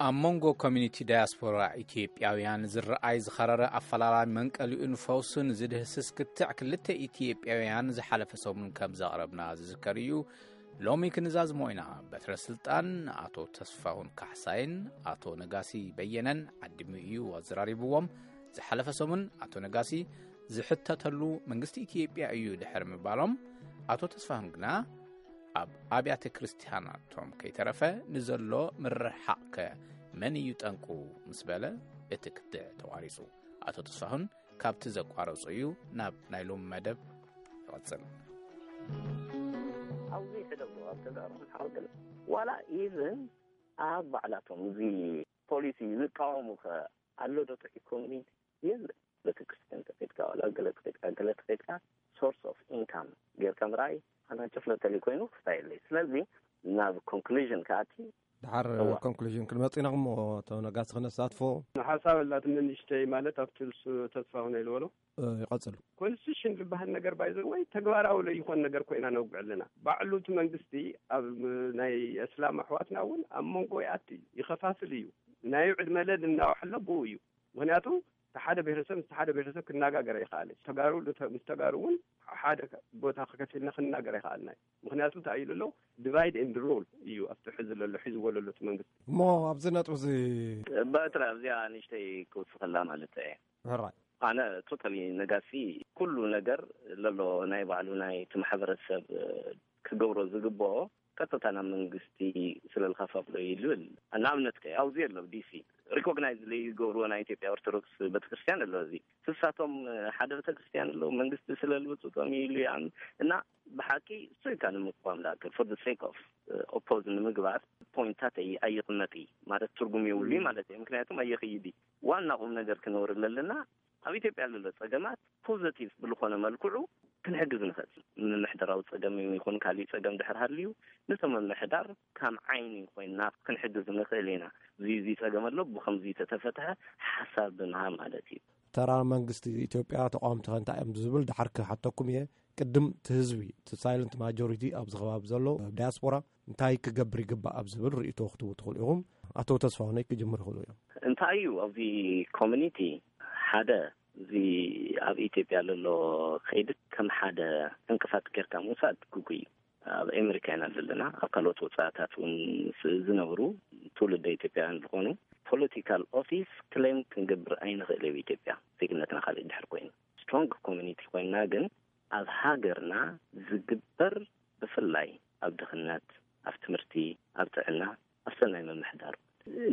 ኣብ መንጎ ኮሚኒቲ ዳያስፖራ ኢትዮጵያውያን ዝረኣይ ዝኸረረ ኣፈላላይ መንቀሊኡን ፈውሱን ዝድህስስ ክትዕ ክልተ ኢትዮጵያውያን ዝሓለፈ ሰሙን ከም ዘቕረብና ዝዝከር እዩ። ሎሚ ክንዛዝሞ ኢና። በትረ ስልጣን ኣቶ ተስፋሁን ካሕሳይን ኣቶ ነጋሲ በየነን ዓዲሙ እዩ ኣዘራሪብዎም። ዝሓለፈ ሰሙን ኣቶ ነጋሲ ዝሕተተሉ መንግስቲ ኢትዮጵያ እዩ ድሕሪ ምባሎም፣ ኣቶ ተስፋሁን ግና ኣብ ኣብያተ ክርስቲያናቶም ከይተረፈ ንዘሎ ምርሕሓቕ ከ መን እዩ ጠንቁ ምስ በለ እቲ ክትዕ ተቋሪጹ። ኣቶ ተስፋሁን ካብቲ ዘቋረጾ እዩ ናብ ናይ ሎሚ መደብ ይቐጽል። ኣብዚ ሕደጉ ኣብ ተጋሩ ሓወገለ ዋላ ኢቭን ኣብ ባዕላቶም እዚ ፖሊሲ ዝቃወሙ ከ ኣሎ ዶ ጥዑይ ኮሚኒቲ? የለ። ቤተክርስትያን ተፈትካ ዋላ ገለ ተፈትካ ገለ ተፈትካ ሶርስ ኦፍ ኢንካም ጌርካ ምርኣይ ኣና ጭፍለተሊ ኮይኑ ክስታ የለይ። ስለዚ ናብ ኮንክሉዥን ከኣቲ ድሓር ኮንክሉዥን ክንመጽእ ኢና። እሞ ተነጋሲ ክነሳትፎ ሓሳብ ኣላትኒ ንእሽተይ ማለት ኣብቲ ንሱ ተስፋ ሆነ ኢልበሎ ይቐጽሉ። ኮንስቲቱሽን ዝበሃል ነገር ባይዘ ወይ ተግባራዊ ለይኾን ነገር ኮይና ነውግዕ ኣለና። ባዕሉ እቲ መንግስቲ ኣብ ናይ እስላም ኣሕዋትና እውን ኣብ መንጎ ይኣቲ እዩ፣ ይኸፋፍል እዩ። ናይ ዕድመ ለድ እናውሐሎ ብኡ እዩ። ምክንያቱ እቲ ሓደ ብሄረሰብ ምስ ሓደ ብሄረሰብ ክነጋገር ኣይከኣለ። ተጋሩ ምስ ተጋሩ እውን ሓደ ቦታ ከከፊልና ክንናገር ኣይከኣልና እዩ። ምክንያቱ እንታይ ኢሉ ኣሎ? ዲቫይድ ኤንድ ሩል እዩ ኣብቲ ሕዚ ዘሎ ሒዝዎ ዘሎ እቲ መንግስቲ። እሞ ኣብዚ ነጥቢ እዚ በትረ ኣብዚኣ ንእሽተይ ክውስኸላ ማለት እየ። ሕራይ ኣነ ቶታሊ ነጋሲ ኩሉ ነገር ለሎ ናይ ባዕሉ ናይ እቲ ማሕበረሰብ ክገብሮ ዝግብኦ ቀጥታ ናብ መንግስቲ ስለልካፋፍሎ እዩ ዝብል። ንኣብነት ከ ኣብዚ ኣሎ ዲሲ ሪኮግናይዝ ዘይገብርዎ ናይ ኢትዮጵያ ኦርቶዶክስ ቤተክርስትያን ኣሎ። እዚ ስሳቶም ሓደ ቤተክርስትያን ኣሎ መንግስቲ ስለልብፅጦም እዩ ኢሉ ይኣምን እና ብሓቂ እሱ ኢልካ ንምቅዋም ዳክል for the sake of ኦፖዝ ንምግባር ፖይንታት ኣይቕመጥ ማለት ትርጉም የብሉ ማለት እዩ። ምክንያቱም ኣየኽይድ ዋና ቁም ነገር ክነውር ኣለና ኣብ ኢትዮጵያ ዘሎ ጸገማት ፖዘቲቭ ብልኾነ መልክዑ ክንሕግዝ ንኽእል። ምምሕደራዊ ጸገም ይኹን ካሊእ ጸገም ድሕር ሃልዩ ነቶም ምምሕዳር ከም ዓይኒ ኮይና ክንሕግዝ ንኽእል ኢና። እዚ እዚ ጸገም ኣሎ ብኸምዚ ተተፈትሐ ሓሳብ ብምሃብ ማለት እዩ። ተራ መንግስቲ ኢትዮጵያ ተቃወምቲ ከ እንታይ እዮም ዝብል ድሓር ክሓተኩም እየ። ቅድም እቲ ህዝቢ እቲ ሳይለንት ማጆሪቲ ኣብዚ ከባቢ ዘሎ ዳያስፖራ እንታይ ክገብር ይግባእ ኣብ ዝብል ርእይቶ ክትቡ ትኽእሉ ኢኹም። ኣቶ ተስፋሁነይ ክጅምር ይኽእሉ እዮም። እንታይ እዩ ኣብዚ ኮሚኒቲ ሓደ እዚ ኣብ ኢትዮጵያ ዘሎ ከይዲ ከም ሓደ ዕንቅፋት ጌርካ ምውሳድ ግጉይ እዩ። ኣብ ኣሜሪካ ኢና ዘለና ኣብ ካልኦት ወፃእታት እውን ዝነብሩ ትውልደ ኢትዮጵያውያን ዝኾኑ ፖለቲካል ኦፊስ ክሌም ክንገብር ኣይንኽእል ኣብ ኢትዮጵያ ዜግነትና ካልእ ድሕር ኮይኑ ስትሮንግ ኮሚኒቲ ኮይንና ግን ኣብ ሃገርና ዝግበር ብፍላይ ኣብ ድኽነት ኣብ ትምህርቲ ኣብ ጥዕና ኣብ ሰናይ ምምሕዳር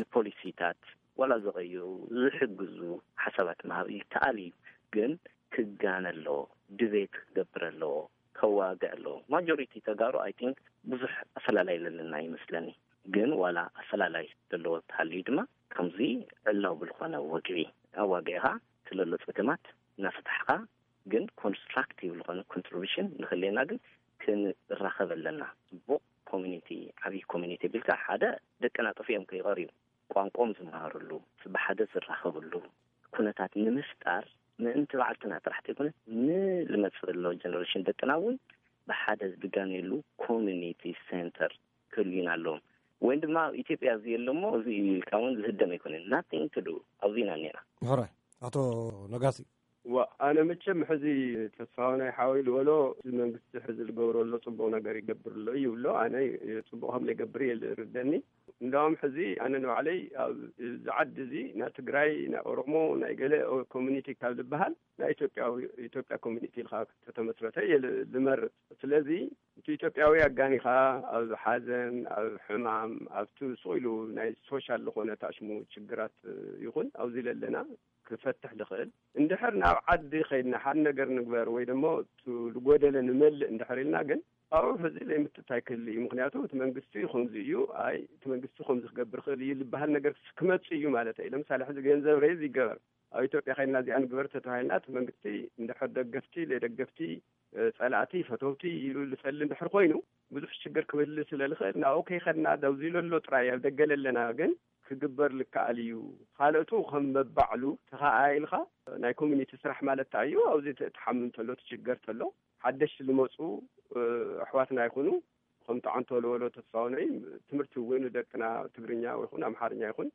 ንፖሊሲታት ዋላ ዝቐይሩ ዝሕግዙ ሓሳባት ምሃብ ይከኣል እዩ። ግን ክጋነ ኣለዎ፣ ድቤት ክገብር ኣለዎ፣ ከዋግዕ ኣለዎ። ማጆሪቲ ተጋሩ ኣይ ቲንክ ብዙሕ ኣፈላላይ ዘለና ይመስለኒ። ግን ዋላ ኣፈላላይ ዘለዎ ተሃልዩ ድማ ከምዚ ዕላዊ ብልኾነ ወግዒ ኣዋጊዕኻ ስለሎ ጸገማት እናፈታሕኻ ግን ኮንስትራክቲቭ ዝኾነ ኮንትሪቢሽን ንኽልየና ግን ክንራኸብ ኣለና። ጽቡቕ ኮሚኒቲ ዓብዪ ኮሚኒቲ ቢልካ ሓደ ደቅና ጠፊኦም ከይቐርዩ ቋንቋኦም ዝመሃርሉ ብሓደ ዝራኸብሉ ኩነታት ንምፍጣር ምእንቲ ባዕልትና ጥራሕ ተይኮነ ንልመፅእ ዘሎ ጀነሬሽን ደቅና እውን ብሓደ ዝጋነየሉ ኮሚኒቲ ሴንተር ክህልዩና ኣለዎም። ወይም ድማ ኣብ ኢትዮጵያ እዚ የለሞ እዚ ኢልካ እውን ዝህደም ኣይኮነን። ናቲንግ ቱ ዱ ኣብዚ ኢና እኒና። ሕራይ ኣቶ ነጋሲ ዋ ኣነ መቸም ሕዚ ተስፋሁናይ ሓወይ ዝበሎ እዚ መንግስቲ ሕዚ ዝገብሮ ኣሎ ፅቡቕ ነገር ይገብር ኣሎ እዩ ብሎ ኣነ ፅቡቕ ከም ዘይገብር እየ ዝርደኒ። እንዳውም ሕዚ ኣነ ንባዕለይ ኣብዚ ዓዲ እዚ ናይ ትግራይ ናይ ኦሮሞ ናይ ገለ ኮሚኒቲ ካብ ዝበሃል ናይ ኢትዮጵያዊ ኢትዮጵያ ኮሚኒቲ ኢልካ ተተመስረተ እየ ዝመርፅ። ስለዚ እቲ ኢትዮጵያዊ ኣጋኒኻ ኣብ ሓዘን ኣብ ሕማም ኣብቲ ስቕ ኢሉ ናይ ሶሻል ዝኾነ ታሽሙ ችግራት ይኹን ኣብዚ ለለና ክፈትሕ ዝኽእል እንድሕር ናብ ዓዲ ከይድና ሓደ ነገር ንግበር ወይ ደሞ ዝጎደለ ንመልእ እንድሕር ኢልና ግን ኣብኡ ሕዚ ዘይምትታይ ክህሊ እዩ። ምክንያቱ እቲ መንግስቲ ከምዚ እዩ ኣይ እቲ መንግስቲ ከምዚ ክገብር ክእል እዩ ዝበሃል ነገር ክመፅእ እዩ ማለት እዩ። ለምሳሌ ሕዚ ገንዘብ ሬዝ ይገበር ኣብ ኢትዮጵያ ከይድና እዚኣ ንግበር ተተባሂልና እቲ መንግስቲ እንድሕር ደገፍቲ ዘይደገፍቲ ጸላእቲ ፈተውቲ ኢሉ ዝፈሊ እንድሕር ኮይኑ ብዙሕ ሽግር ክብል ስለ ዝኽእል ናብኡ ከይኸድና ደብዚ ለሎ ጥራይ ኣብ ደገ ለለና ግን ክግበር ልከኣል እዩ። ካልእቱ ከም መባዕሉ ተኸኣ ኢልካ ናይ ኮሚኒቲ ስራሕ ማለት እንታይ እዩ? ኣብዚ ተሓምም ተሎ ትሽገር ተሎ ሓደሽቲ ዝመፁ ኣሕዋትና ይኹኑ ከምቲ ዓንቶ ለወሎ ተስፋውነይ ትምህርቲ እውን ደቅና ትግርኛ ይኹን ኣምሓርኛ ይኹን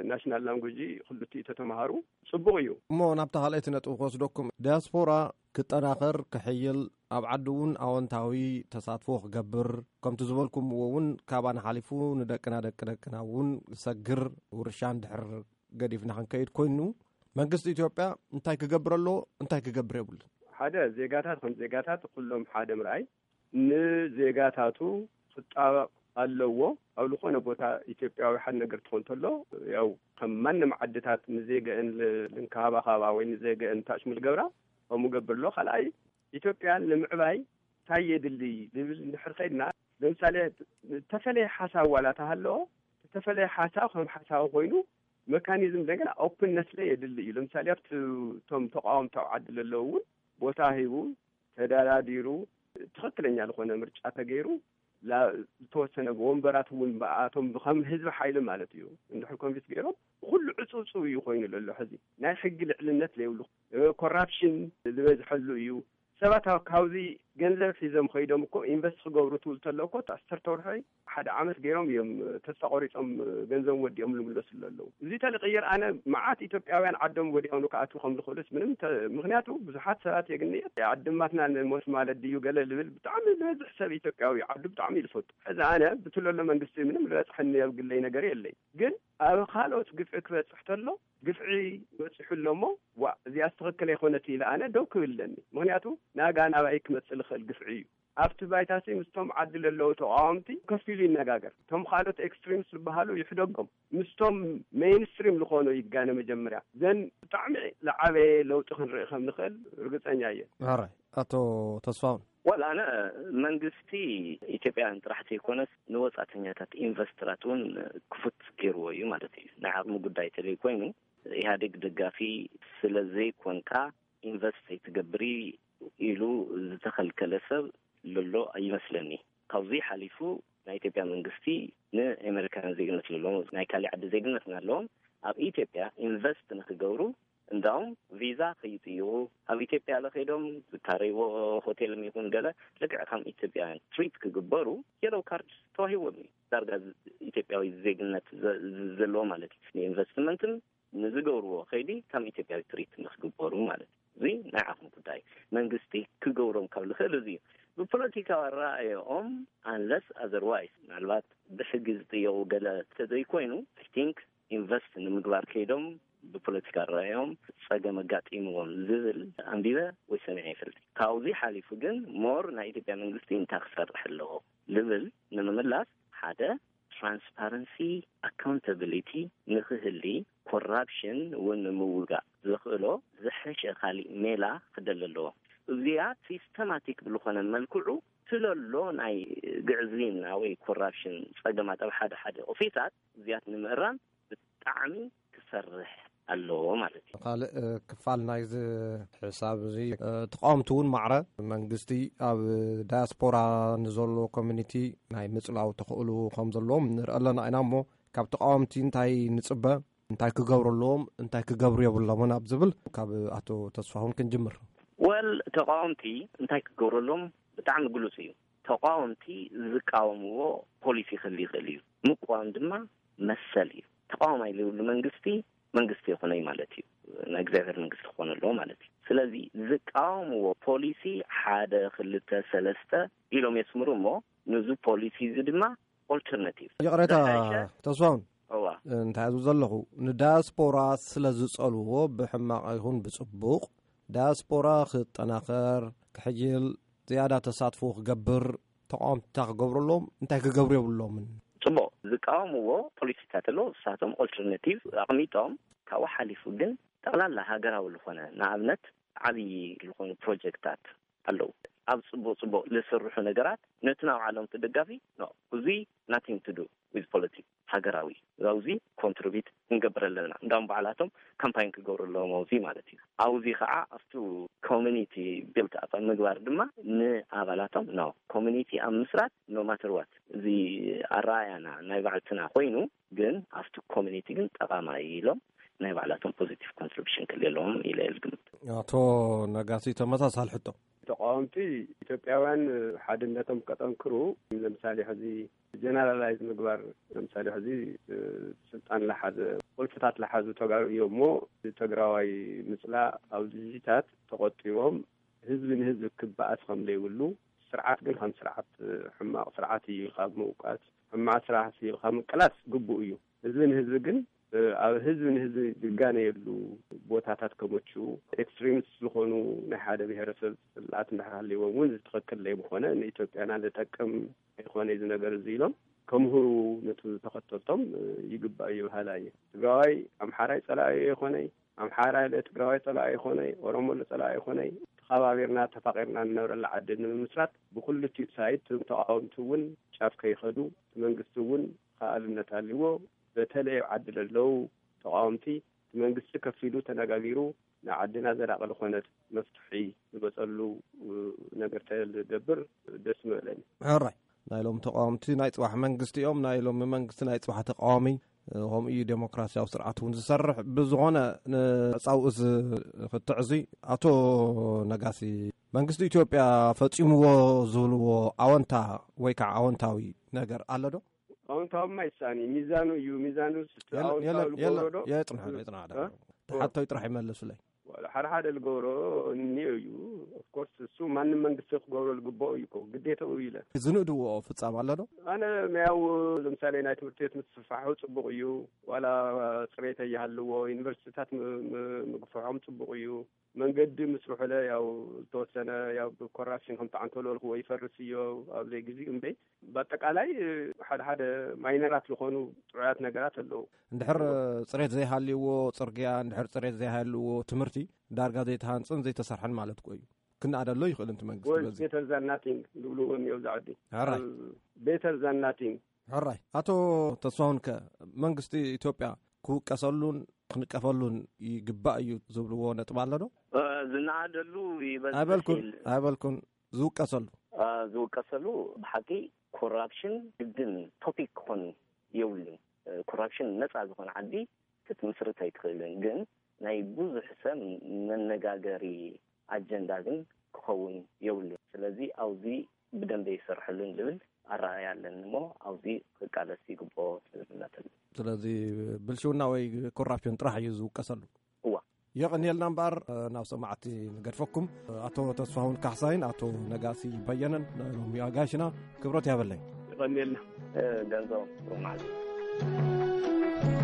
ናሽናል ላንጉጂ ክልቲኡ ተተምሃሩ ጽቡቕ እዩ። እሞ ናብታ ካልኣይቲ ነጥቢ ክወስደኩም፣ ዲያስፖራ ክጠናኸር፣ ክሕይል፣ ኣብ ዓዲ እውን ኣወንታዊ ተሳትፎ ክገብር፣ ከምቲ ዝበልኩምዎ እውን ካባና ሓሊፉ ንደቅና ደቂ ደቅና እውን ክሰግር፣ ውርሻ እንድሕር ገዲፍና ክንከይድ ኮይኑ፣ መንግስቲ ኢትዮጵያ እንታይ ክገብር ኣለዎ፣ እንታይ ክገብር የብሉን? ሓደ፣ ዜጋታት ከም ዜጋታት ኩሎም ሓደ ምርኣይ፣ ንዜጋታቱ ክጣበቕ ኣለዎ። ኣብ ዝኾነ ቦታ ኢትዮጵያዊ ሓደ ነገር ትኾን እንተሎ፣ ያው ከም ማንም ዓድታት ንዜገአን ል-፣ ልንከባኸባ ወይ ንዜገአን ታሽሙ ልገብራ፣ ከምኡ ገብር ኣሎ። ካልኣይ፣ ኢትዮጵያ ንምዕባይ እንታይ የድሊ ዝብል እንድሕር ከይድና፣ ለምሳሌ፣ ዝተፈለየ ሓሳብ ዋላ ተሃለዎ፣ ዝተፈለየ ሓሳብ ከም ሓሳብ ኮይኑ፣ መካኒዝም እንደገና ኦፕንነስ ላይ የድሊ እዩ። ለምሳሌ፣ ኣብቲ፣ እቶም ተቃወምቲ ኣብ ዓዲ ለለዉ እውን ቦታ ሂቡ፣ ተደራዲሩ፣ ትኽክለኛ ዝኾነ ምርጫ ተገይሩ፣ ላ-፣ ዝተወሰነ ወንበራት እውን ብኣቶም ከም ህዝቢ ሓይሊ ማለት እዩ፣ እንድሕር ኮንቪንስ ገይሮም፣ ኩሉ ዕፁብ እዩ ኮይኑ ዘሎ። ሕዚ ናይ ሕጊ ልዕልነት ዘይብሉ፣ እ፣ ኮራፕሽን ዝበዝሐሉ እዩ። ሰባት ኣብ፣ ካብዚ ገንዘብ ሒዞም ኸይዶም እኮ ኢንቨስት ክገብሩ ትብል ተሎ እኮ፣ ኣሰርተ ወርሒ፣ ሓደ ዓመት ገይሮም እዮም ተስፋ ቆሪጾም ገንዘብ ወዲኦም ልምለሱ ዘለዉ። እዚ ተልቕይር ኣነ መዓት ኢትዮጵያውያን ዓዶም ወዲኦም ክኣትዉ ከም ዝኽእሉስ ምንም ተ-፣ ምኽንያቱ ብዙሓት ሰባት የግንየት ዓድማትና ንሞት ማለት ድዩ ገለ ልብል ብጣዕሚ ዝበዝሕ ሰብ ኢትዮጵያዊ ዓዱ ብጣዕሚ እዩ ዝፈቱ። ሕዚ ኣነ ብትለሎ መንግስቲ ምንም ዝበፅሐኒ ኣብ ግለይ ነገር የለይ። ግን ኣብ ካልኦት ግፍዒ ክበፅሕ ተሎ ግፍዒ በፂሑ ኣሎ እሞ፣ ዋ፣ እዚኣ ዝተኸከለ ኣይኮነት ኢለ ኣነ ደው ክብል ኣለኒ። ምኽንያቱ ናጋ ናባይ ክመፅእ ዝኽእል ግፍዒ እዩ። ኣብቲ ባይታሲ ምስቶም ዓዲ ለለዉ ተቃወምቲ ከፊሉ ይነጋገር። እቶም ካልኦት ኤክስትሪምስ ዝበሃሉ ይሕደጎም። ምስቶም ሜይንስትሪም ዝኾኑ ይጋነ መጀመርያ። ዘን ብጣዕሚ ዝዓበየ ለውጢ ክንርኢ ከም ንኽእል ርግፀኛ እየ። ሕራይ፣ ኣቶ ተስፋውን። ወላ ኣነ መንግስቲ ኢትዮጵያውያን ጥራሕ ዘይኮነስ ንወጻእተኛታት ኢንቨስተራት እውን ክፉት ገይርዎ እዩ ማለት እዩ። ናይ ዓቕሚ ጉዳይ ተለይ ኮይኑ ኢህኣዴግ ደጋፊ ስለ ዘይኮንካ ኢንቨስት ኣይትገብሪ ኢሉ ዝተኸልከለ ሰብ ልሎ ኣይመስለኒ። ካብዚ ሓሊፉ ናይ ኢትዮጵያ መንግስቲ ንኣሜሪካውያን ዜግነት ልሎም ናይ ካሊእ ዓዲ ዜግነት ናለዎም ኣብ ኢትዮጵያ ኢንቨስት ንክገብሩ እንዳውም ቪዛ ከይጥይቑ ኣብ ኢትዮጵያ ለኸይዶም ዝካረይዎ ሆቴልም ይኹን ገለ ልክዕ ከም ኢትዮጵያውያን ትሪት ክግበሩ የለው ካርድ ተዋሂዎም እዩ። ዳርጋ ኢትዮጵያዊ ዜግነት ዘ-፣ ዘለዎ ማለት እዩ። ንኢንቨስትመንትን ንዝገብርዎ ከይዲ ከም ኢትዮጵያዊ ትሪት ንክግበሩ ማለት እዩ። እዚ ናይ ዓቕሚ ጉዳይ መንግስቲ ክገብሮም ካብ ዝኽእል እዚ እዩ። ብፖለቲካዊ ኣረኣእያኦም ኣንለስ ኣዘርዋይስ ምናልባት ብሕጊ ዝጥየቑ ገለ ተዘይኮይኑ ኣይ ቲንክ ኢንቨስት ንምግባር ከይዶም ብፖለቲካ ኣረኣእያኦም ጸገም ኣጋጢምዎም ዝብል ኣንቢበ ወይ ሰሚዐ ይፈልጥ። ካብዚ ሓሊፉ ግን ሞር ናይ ኢትዮጵያ መንግስቲ እንታይ ክሰርሕ ኣለዎ ልብል ንምምላስ ሓደ ትራንስፓረንሲ ኣካውንታብሊቲ ንክህሊ ኮራፕሽን እውን ንምውጋእ ዘኽእሎ ዝሐሸ ካሊእ ሜላ ክደሊ ኣለዎ። እዚኣ ሲስተማቲክ ብዝኾነ መልክዑ ትለሎ ናይ ግዕዝይና ወይ ኮራፕሽን ጸገማት ኣብ ሓደ ሓደ ኦፊሳት እዚኣት ንምእራም ብጣዕሚ ክሰርሕ ኣለዎ ማለት እዩ። ካልእ ክፋል ናይዚ ሕሳብ እዚ ተቃወምቲ እውን ማዕረ መንግስቲ ኣብ ዳያስፖራ ንዘሎ ኮሚኒቲ ናይ ምጽላው ተኽእሉ ከም ዘለዎም ንርኢ ኣለና ኢና። እሞ ካብ ተቃወምቲ እንታይ ንጽበ፣ እንታይ ክገብሩ ኣለዎም፣ እንታይ ክገብሩ የብሎምን ኣብ ዝብል ካብ ኣቶ ተስፋሁን ክንጅምር። ወል ተቃወምቲ እንታይ ክገብሩ ኣለዎም ብጣዕሚ ግሉጽ እዩ። ተቃወምቲ ዝቃወምዎ ፖሊሲ ክህሉ ይኽእል እዩ። ምቃወም ድማ መሰል እዩ። ተቃዋማይ ዘይብሉ መንግስቲ መንግስቲ ይኹነይ ማለት እዩ። ናይ እግዚኣብሔር መንግስቲ ክኾን ኣለዎ ማለት እዩ። ስለዚ ዝቃወምዎ ፖሊሲ ሓደ ክልተ ሰለስተ ኢሎም የስምሩ እሞ ንዚ ፖሊሲ እዚ ድማ ኦልተርናቲቭ ይቕሬታ ዝሐሸ ተስፋውን እዋ እንታይ እዙ ዘለኹ ንዳያስፖራ ስለ ዝጸልዎ ብሕማቕ ይኹን ብጽቡቕ ዳያስፖራ ክጠናኸር ክሕይል ዝያዳ ተሳትፎ ክገብር ተቃወምቲ ክገብሩ ኣለዎም እንታይ ክገብሩ የብሎምን። ጽቡቕ ዝቃወምዎ ፖሊሲታት ኣለዉ። ንሳቶም ኦልተርናቲቭ ኣቕሚጦም ካብኡ ሓሊፉ ግን ጠቕላላ ሃገራዊ ዝኾነ ንኣብነት ዓብዪ ዝኾኑ ፕሮጀክታት ኣለዉ። ኣብ ጽቡቕ ጽቡቕ ዝስርሑ ነገራት ነቲ ናብ ዓለም ትደጋፊ ኖ እዚ ናቲንግ ቱ ዱ ዊዝ ፖለቲክ ሃገራዊ ኣብዚ ኮንትሪቢት ክንገብር ኣለና እንዳም ባዕላቶም ካምፓይን ክገብሩ ኣለዎም ኣብዚ ማለት እዩ። ኣብዚ ከዓ ኣብቲ ኮሚኒቲ ቢልት ኣፕ ኣብ ምግባር ድማ ንኣባላቶም ኖ ኮሚኒቲ ኣብ ምስራት ኖ ማተር ዋት እዚ ኣረኣያና ናይ ባዕልትና ኮይኑ ግን ኣብቲ ኮሚኒቲ ግን ጠቓማይ ኢሎም ናይ ባዕላቶም ፖዚቲቭ ኮንትሪቢሽን ክልየ ኣለዎም ኢለ እየ ዝግምት። ኣቶ ነጋሲ ተመሳሳሊ ሕቶ። ተቃወምቲ ኢትዮጵያውያን ሓድነቶም ከጠንክሩ፣ ለምሳሌ ሕዚ ጀነራላይዝ ምግባር፣ ለምሳሌ ሕዚ ስልጣን ለሓዘ፣ ቁልፍታት ለሓዙ ተጋሩ እዮም እሞ ትግራዋይ ምፅላእ፣ ኣብ ድልድልታት ተቆጢቦም ህዝቢ ንህዝቢ ክበኣስ ከም ዘይብሉ፣ ስርዓት ግን ከም ስርዓት ሕማቕ ስርዓት እዩ ኢልካ ምውቃስ፣ ሕማቕ ስርዓት እዩ ኢልካ ምቅላስ ግቡእ እዩ። ህዝቢ ንህዝቢ ግን ኣብ ህዝቢ ንህዝቢ ዝጋነየሉ ቦታታት ከመችኡ፣ ኤክስትሪምስ ዝኾኑ ናይ ሓደ ብሄረሰብ ጽላኣት እንድሕር ሃልይዎም እውን ትኽክል ዘይምኾነ፣ ንኢትዮጵያና ዝጠቅም ኣይኮነ እዚ ነገር እዚ ኢሎም ከምህሩ ነቲ ተኸተልቶም ይግባእ እዩ በሃላይ እየ። ትግራዋይ ኣምሓራይ ጸላኢ ኣይኮነይ፣ ኣምሓራይ ለትግራዋይ ጸላኢ ኣይኮነይ፣ ኦሮሞ ለጸላኢ ኣይኮነይ። ተኸባቢርና ተፋቒርና ንነብረላ ዓዲ ንምምስራት ብኩልቲኡ ሳይድ እቶም ተቓወምቲ እውን ጫፍ ከይኸዱ እቲ መንግስቲ እውን ከኣልነት ኣልዎ። በተለይ ኣብ ዓዲ ለለዉ ተቓወምቲ እቲ መንግስቲ ከፊሉ ተነጋጊሩ ንዓድና ዘላቒ ዝኾነት መፍትሒ ዝመፀሉ ነገር ተገብር ደስ ምበለኒ። ሕራይ ናይ ሎም ተቃወምቲ ናይ ጽባሕ መንግስቲ እዮም፣ ናይ ሎም መንግስቲ ናይ ጽባሕ ተቃዋሚ። ከምኡ እዩ ዴሞክራሲያዊ ስርዓት እውን ዝሰርሕ። ብዝኾነ ንመጻውኡ ዝኽትዕ እዚ ኣቶ ነጋሲ መንግስቲ ኢትዮጵያ ፈጺምዎ ዝብልዎ ኣወንታ ወይ ከዓ ኣወንታዊ ነገር ኣሎ ዶ? ኣወንታውማ ይሳኒ ሚዛኑ እዩ። ሚዛኑ ስ-፣ የለ-፣ ኣወንታዊ የለ-፣ የለ-፣ ዝገብሮ ዶ? የጽንሐ፣ የጽንሐ። እ? ተሓቶይ ጥራሕ ይመልሱለይ። ሓደ ሓደ ዝገብሮ እኒኦ እዩ። ኦፍኮርስ እሱ ማንም መንግስቲ ክገብሮ ዝግብኦ እዩ እኮ፣ ግዴታኡ እዩ ኢለ። ዝንእድዎ ፍጻም ኣሎ ዶ? ኣነ ያው ለምሳሌ ናይ ትምህርቲ ቤት ምስፍፋሑ ጽቡቕ እዩ። ዋላ ጽሬት ይሃልዎ፣ ዩኒቨርሲቲታት ም-፣ ም-፣ ምግፍሖም ጽቡቕ እዩ። መንገዲ ምስርሑለ ያው ዝተወሰነ ያው ብኮራፕሽን ከም ተዓንተለልክዎ ይፈርስ እዮ ኣብ ዘይግዚኡ እምበይ። በአጠቃላይ ሓደ ሓደ ማይነራት ዝኾኑ ጥዑያት ነገራት ኣለዉ። እንድሕር ጽሬት ዘይሃልይዎ ጽርግያ፣ እንድሕር ጽሬት ዘይሃልይዎ ትምህርቲ ዳርጋ ዘይተሃንጽን ዘይተሰርሐን ማለት እኮ እዩ። ክነኣደሎ ይኽእል እንት መንግስቲ ወይ በዚ። ቤተር ዛን ናቲንግ ዝብልዎ እኒኦ ኣብዚ ዓዲ። ሕራይ። ኣብ ቤተር ዛን ናቲንግ። ሕራይ። ኣቶ ተስፋሁን ከ መንግስቲ ኢትዮጵያ ክውቀሰሉን ክንቀፈሉን ይግባእ እዩ ዝብልዎ ነጥብ ኣሎ ዶ? እ፣ ዝነኣደሉ ይበዝሕ ኣይበልኩን፣ ኢል-፣ ኣይበልኩን። ዝውቀሰሉ። እ፣ ዝውቀሰሉ ብሓቂ ኮራፕሽን ግድን ቶፒክ ክኾን የብሉን። እ፣ ኮራፕሽን ነፃ ዝኾነ ዓዲ ክትምስርት ኣይትኽእልን። ግን ናይ ብዙሕ ሰብ መነጋገሪ ኣጀንዳ ግን ክኸውን የብሉን። ስለዚ ኣብዚ ብደንበ ይሰርሐሉን ዝብል ኣረኣእያ ኣለኒ እሞ ኣብዚ ክቃለስ ይግብኦ ዝብል እምነት ኣለኒ። ስለዚ ብልሽውና ወይ ኮራፕሽን ጥራሕ እዩ ዝውቀሰሉ። እዋ። የቐንየልና እምበኣር፣ ናብ ሰማዕቲ ንገድፈኩም። ኣቶ ተስፋሁን ካሕሳይን ኣቶ ነጋሲ በየነን ናይ ሎሚ ኣጋይሽና ክብረት ያበለኝ። ይቐንየልና። እ፣ ገንዘቦም ጥሩ ማለት እዩ።